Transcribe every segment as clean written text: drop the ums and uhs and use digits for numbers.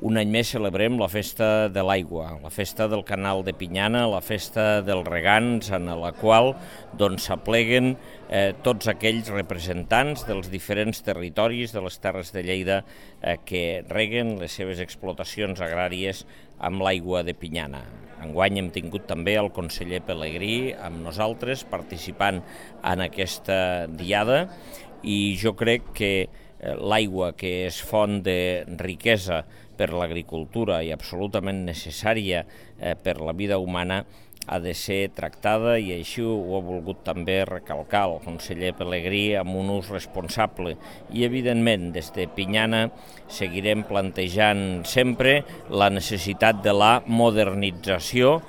Un any més celebrem la festa de l'aigua, la festa del canal de Pinyana, la festa dels regants, en la qual s'apleguen tots aquells representants dels diferents territoris de les Terres de Lleida que reguen les seves explotacions agràries amb l'aigua de Pinyana. Enguany hem tingut també el conseller Pelegrí amb nosaltres participant en aquesta diada i jo crec que l'aigua, que és font de riquesa per l'agricultura i absolutament necessària per la vida humana, ha de ser tractada i així ho ha volgut també recalcar el conseller Pelegrí amb un ús responsable. I evidentment des de Pinyana seguirem plantejant sempre la necessitat de la modernització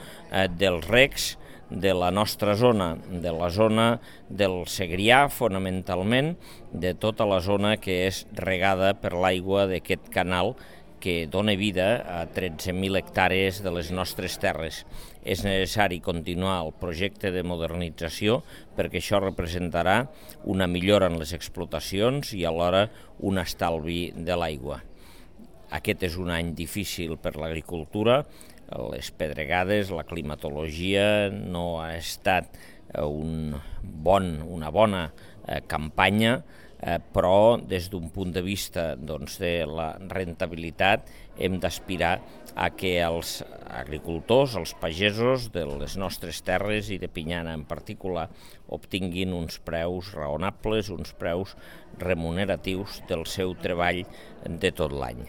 dels regs de la nostra zona, de la zona del Segrià fonamentalment, de tota la zona que és regada per l'aigua d'aquest canal que dona vida a 13.000 hectàrees de les nostres terres. És necessari continuar el projecte de modernització perquè això representarà una millora en les explotacions i alhora un estalvi de l'aigua. Aquest és un any difícil per l'agricultura, les pedregades, la climatologia no ha estat una bona campanya, però des d'un punt de vista de la rentabilitat hem d'aspirar a que els agricultors, els pagesos de les nostres terres i de Pinyana en particular obtinguin uns preus raonables, uns preus remuneratius del seu treball de tot l'any.